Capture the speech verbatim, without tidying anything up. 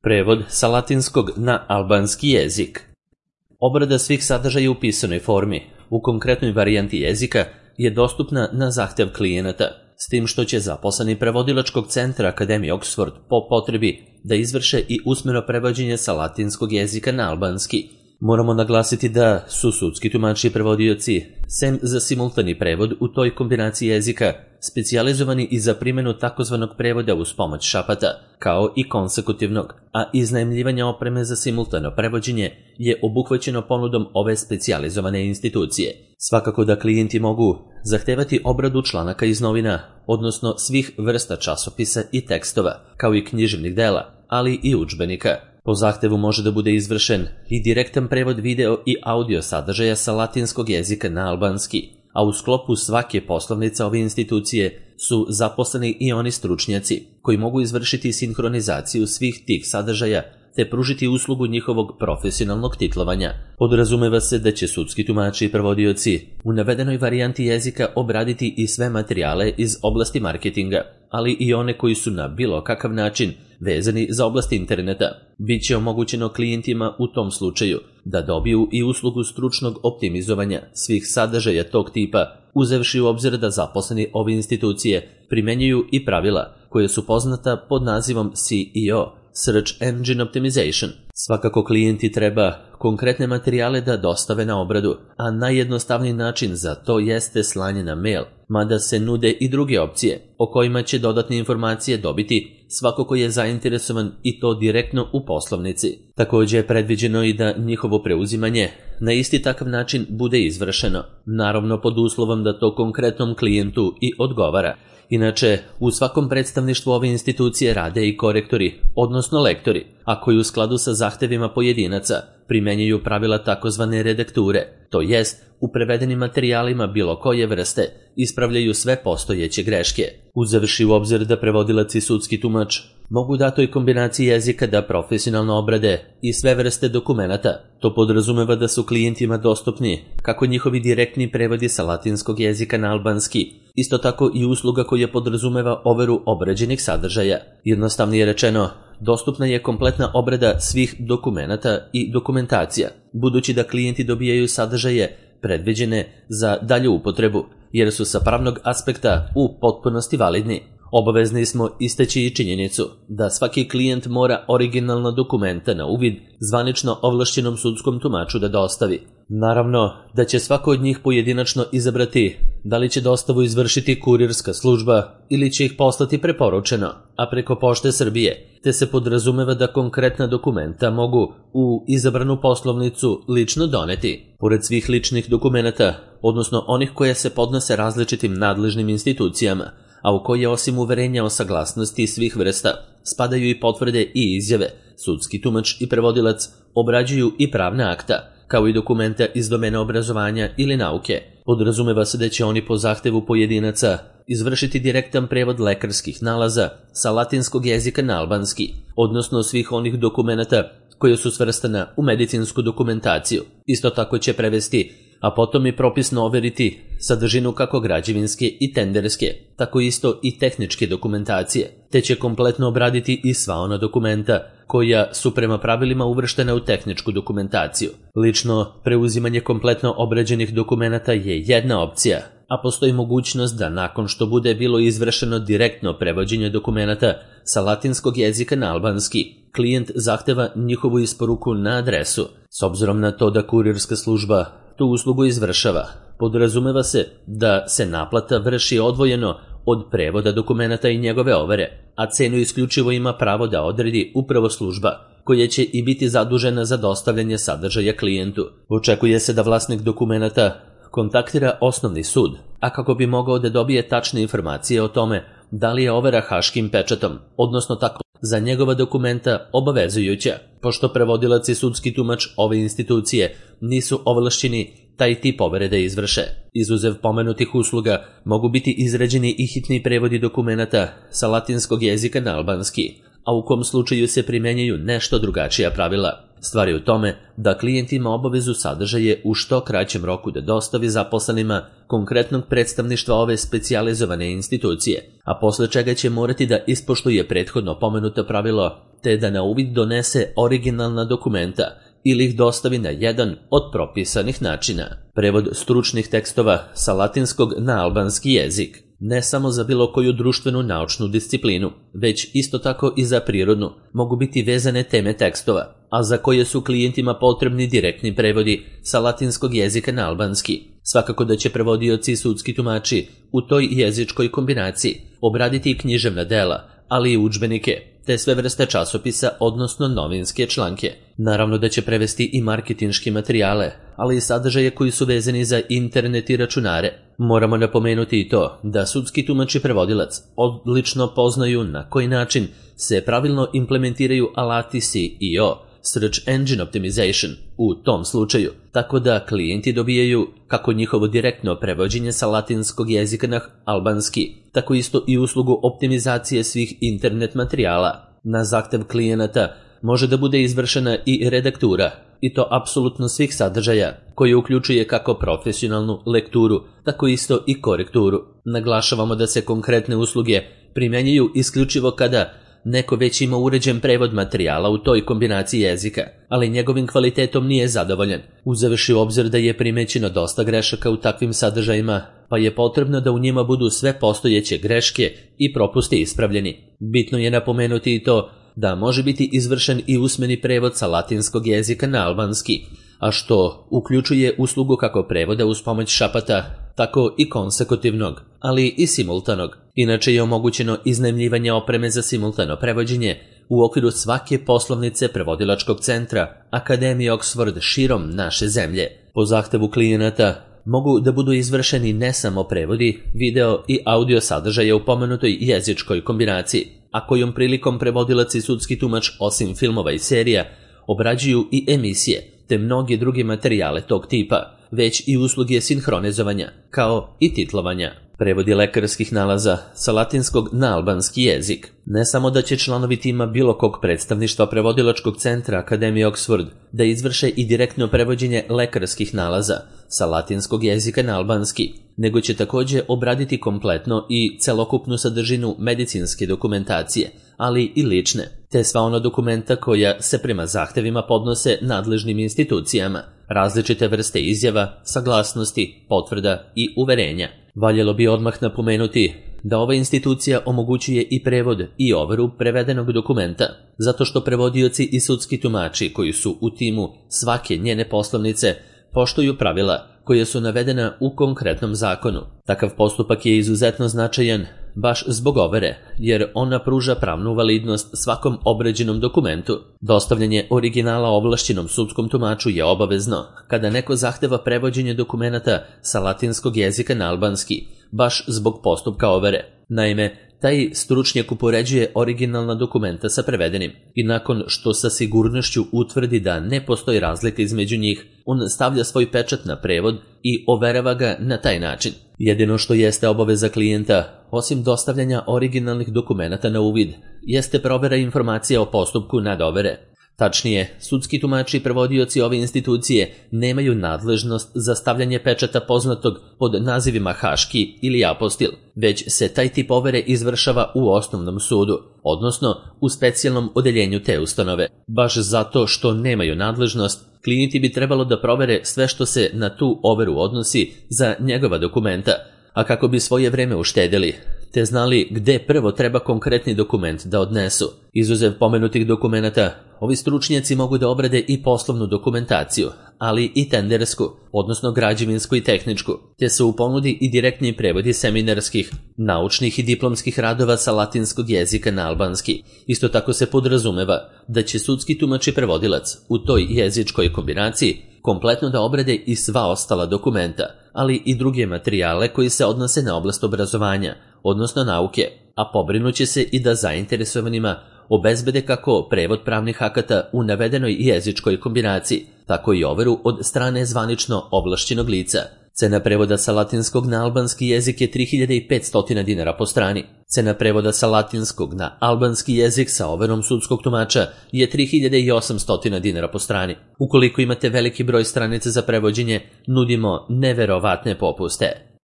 Prevod sa latinskog na albanski jezik. Obrada svih sadržaja u pisanoj formi u konkretnoj varijanti jezika je dostupna na zahtev klijenata, s tim što će zaposleni prevodilačkog centra Akademije Oxford po potrebi da izvrše i usmeno prevođenje sa latinskog jezika na albanski. Moramo naglasiti da su sudski tumači i prevodioci, sem za simultani prevod u toj kombinaciji jezika, specijalizovani i za primjenu takozvanog prevoda uz pomoć šapata, kao i konsekutivnog, a iznajmljivanje opreme za simultano prevođenje je obuhvaćeno ponudom ove specijalizovane institucije. Svakako da klijenti mogu zahtevati obradu članaka iz novina, odnosno svih vrsta časopisa i tekstova, kao i književnih dela, ali i udžbenika. Po zahtevu može da bude izvršen i direktan prevod video i audio sadržaja sa latinskog jezika na albanski, a u sklopu svake poslovnice ove institucije su zaposleni i oni stručnjaci koji mogu izvršiti sinhronizaciju svih tih sadržaja te pružiti uslugu njihovog profesionalnog titlovanja. Podrazumeva se da će sudski tumači i prevodioci u navedenoj varijanti jezika obraditi i sve materijale iz oblasti marketinga, ali i one koji su na bilo kakav način vezani za oblast interneta. Biće omogućeno klijentima u tom slučaju da dobiju i uslugu stručnog optimizovanja svih sadržaja tog tipa, uzevši u obzir da zaposleni ove institucije primenjuju i pravila koje su poznata pod nazivom C E O, Search Engine Optimization. Svakako klijenti treba konkretne materijale da dostave na obradu, a najjednostavniji način za to jeste slanje na mail, mada se nude i druge opcije o kojima će dodatne informacije dobiti svako ko je zainteresovan i to direktno u poslovnici. Također je predviđeno i da njihovo preuzimanje na isti takav način bude izvršeno, naravno pod uslovom da to konkretnom klijentu i odgovara. Inače, u svakom predstavništvu ove institucije rade i korektori, odnosno lektori, a koji u skladu sa zahtevima pojedinaca primenjuju pravila takozvane redakture, to jest u prevedenim materijalima bilo koje vrste ispravljaju sve postojeće greške. Uzevši u obzir da prevodilac i sudski tumač mogu datoj kombinaciji jezika da profesionalno obrade i sve vrste dokumenata, to podrazumeva da su klijentima dostupni kako njihovi direktni prevodi sa latinskog jezika na albanski, isto tako i usluga koja podrazumeva overu obrađenih sadržaja. Jednostavnije rečeno, dostupna je kompletna obrada svih dokumenata i dokumentacija, budući da klijenti dobijaju sadržaje predviđene za dalju upotrebu, jer su sa pravnog aspekta u potpunosti validni. Obavezni smo istaći i činjenicu da svaki klijent mora originalna dokumenta na uvid zvanično ovlašćenom sudskom tumaču da dostavi. Naravno da će svako od njih pojedinačno izabrati da li će dostavu izvršiti kurirska služba ili će ih poslati preporučeno, a preko Pošte Srbije, te se podrazumeva da konkretna dokumenta mogu u izabranu poslovnicu lično doneti. Pored svih ličnih dokumenata, odnosno onih koje se podnose različitim nadležnim institucijama, a u koje osim uverenja o saglasnosti svih vrsta spadaju i potvrde i izjave, sudski tumač i prevodilac obrađuju i pravna akta, kao i dokumenta iz domena obrazovanja ili nauke. Podrazumeva se da će oni po zahtevu pojedinaca izvršiti direktan prevod lekarskih nalaza sa latinskog jezika na albanski, odnosno svih onih dokumenata koje su svrstana u medicinsku dokumentaciju. Isto tako će prevesti, a potom i propisno overiti sadržinu kako građevinske i tenderske, tako isto i tehničke dokumentacije, te će kompletno obraditi i sva ona dokumenta koja su prema pravilima uvrštena u tehničku dokumentaciju. Lično preuzimanje kompletno obrađenih dokumenata je jedna opcija, a postoji mogućnost da nakon što bude bilo izvršeno direktno prevođenje dokumenata sa latinskog jezika na albanski, klijent zahteva njihovu isporuku na adresu. S obzirom na to da kurirska služba tu uslugu izvršava, podrazumeva se da se naplata vrši odvojeno od prevoda dokumenata i njegove overe, a cenu isključivo ima pravo da odredi upravo služba, koja će i biti zadužena za dostavljanje sadržaja klijentu. Očekuje se da vlasnik dokumenata kontaktira osnovni sud, a kako bi mogao da dobije tačne informacije o tome da li je overa haškim pečatom, odnosno tako za njegova dokumenta obavezujuća, pošto prevodilac i sudski tumač ove institucije nisu ovlašćeni taj tip overe da izvrše. Izuzev pomenutih usluga mogu biti izrađeni i hitni prevodi dokumenata sa latinskog jezika na albanski, a u kom slučaju se primjenjuju nešto drugačija pravila. Stvar je u tome da klijent ima obavezu sadržaje u što kraćem roku da dostavi zaposlenima konkretnog predstavništva ove specijalizovane institucije, a posle čega će morati da ispoštuje prethodno pomenuto pravilo te da na uvid donese originalna dokumenta ili ih dostavi na jedan od propisanih načina. Prevod stručnih tekstova sa latinskog na albanski jezik, ne samo za bilo koju društvenu naučnu disciplinu, već isto tako i za prirodnu, mogu biti vezane teme tekstova, a za koje su klijentima potrebni direktni prevodi sa latinskog jezika na albanski. Svakako da će prevodioci i sudski tumači u toj jezičkoj kombinaciji obraditi i književna dela, ali i udžbenike, te sve vrste časopisa, odnosno novinske članke. Naravno da će prevesti i marketinške materijale, ali i sadržaje koji su vezani za internet i računare. Moramo napomenuti i to da sudski tumač i prevodilac odlično poznaju na koji način se pravilno implementiraju alati S E O, Search Engine Optimization, u tom slučaju, tako da klijenti dobijaju kako njihovo direktno prevođenje sa latinskog jezika na albanski, tako isto i uslugu optimizacije svih internet materijala. Na zahtev klijenata može da bude izvršena i redaktura, i to apsolutno svih sadržaja, koje uključuje kako profesionalnu lekturu, tako isto i korekturu. Naglašavamo da se konkretne usluge primjenjuju isključivo kada neko već ima uređen prevod materijala u toj kombinaciji jezika, ali njegovim kvalitetom nije zadovoljan, uzevši u obzir da je primećeno dosta grešaka u takvim sadržajima, pa je potrebno da u njima budu sve postojeće greške i propusti ispravljeni. Bitno je napomenuti i to da može biti izvršen i usmeni prevod sa latinskog jezika na albanski, a što uključuje uslugu kako prevoda uz pomoć šapata, tako i konsekutivnog, ali i simultanog. Inače je omogućeno iznajmljivanje opreme za simultano prevođenje u okviru svake poslovnice prevodilačkog centra Akademije Oxford širom naše zemlje. Po zahtevu klijenata mogu da budu izvršeni ne samo prevodi, video i audio sadržaja u pomenutoj jezičkoj kombinaciji, a kojom prilikom prevodilac i sudski tumač osim filmova i serija obrađuju i emisije, te mnoge druge materijale tog tipa, već i usluge sinhronizovanja, kao i titlovanja. Prevodi lekarskih nalaza sa latinskog na albanski jezik. Ne samo da će članovi tima bilo kog predstavništva prevodilačkog centra Akademije Oxford da izvrše i direktno prevođenje lekarskih nalaza sa latinskog jezika na albanski, nego će također obraditi kompletno i celokupnu sadržinu medicinske dokumentacije, ali i lične, te sva ona dokumenta koja se prema zahtevima podnose nadležnim institucijama, različite vrste izjava, saglasnosti, potvrda i uverenja. Valjalo bi odmah napomenuti da ova institucija omogućuje i prevod i overu prevedenog dokumenta, zato što prevodioci i sudski tumači koji su u timu svake njene poslovnice poštuju pravila koje su navedena u konkretnom zakonu. Takav postupak je izuzetno značajan baš zbog overe, jer ona pruža pravnu validnost svakom obrađenom dokumentu. Dostavljanje originala ovlašćenom sudskom tumaču je obavezno kada neko zahteva prevođenje dokumenata sa latinskog jezika na albanski, baš zbog postupka overe. Naime, taj stručnjak upoređuje originalna dokumenta sa prevedenim i nakon što sa sigurnošću utvrdi da ne postoji razlika između njih, on stavlja svoj pečat na prevod i overava ga na taj način. Jedino što jeste obaveza klijenta, osim dostavljanja originalnih dokumenata na uvid, jeste provera informacija o postupku nadovere. Tačnije, sudski tumači i prevodioci ove institucije nemaju nadležnost za stavljanje pečata poznatog pod nazivima haški ili apostil, već se taj tip overe izvršava u osnovnom sudu, odnosno u specijalnom odeljenju te ustanove. Baš zato što nemaju nadležnost, klijenti bi trebalo da provere sve što se na tu overu odnosi za njegova dokumenta, a kako bi svoje vreme uštedili, te znali gde prvo treba konkretni dokument da odnesu. Izuzev pomenutih dokumenata, ovi stručnjaci mogu da obrade i poslovnu dokumentaciju, ali i tendersku, odnosno građevinsku i tehničku, te su u ponudi i direktni prevodi seminarskih, naučnih i diplomskih radova sa latinskog jezika na albanski. Isto tako se podrazumeva da će sudski tumač i prevodilac u toj jezičkoj kombinaciji kompletno da obrade i sva ostala dokumenta, ali i druge materijale koji se odnose na oblast obrazovanja, odnosno nauke, a pobrinuće se i da zainteresovanima obezbede kako prevod pravnih akata u navedenoj jezičkoj kombinaciji, tako i overu od strane zvanično ovlašćenog lica. Cena prevoda sa latinskog na albanski jezik je tri hiljade petsto dinara po strani. Cena prevoda sa latinskog na albanski jezik sa overom sudskog tumača je tri hiljade osamsto dinara po strani. Ukoliko imate veliki broj stranica za prevođenje, nudimo neverovatne popuste.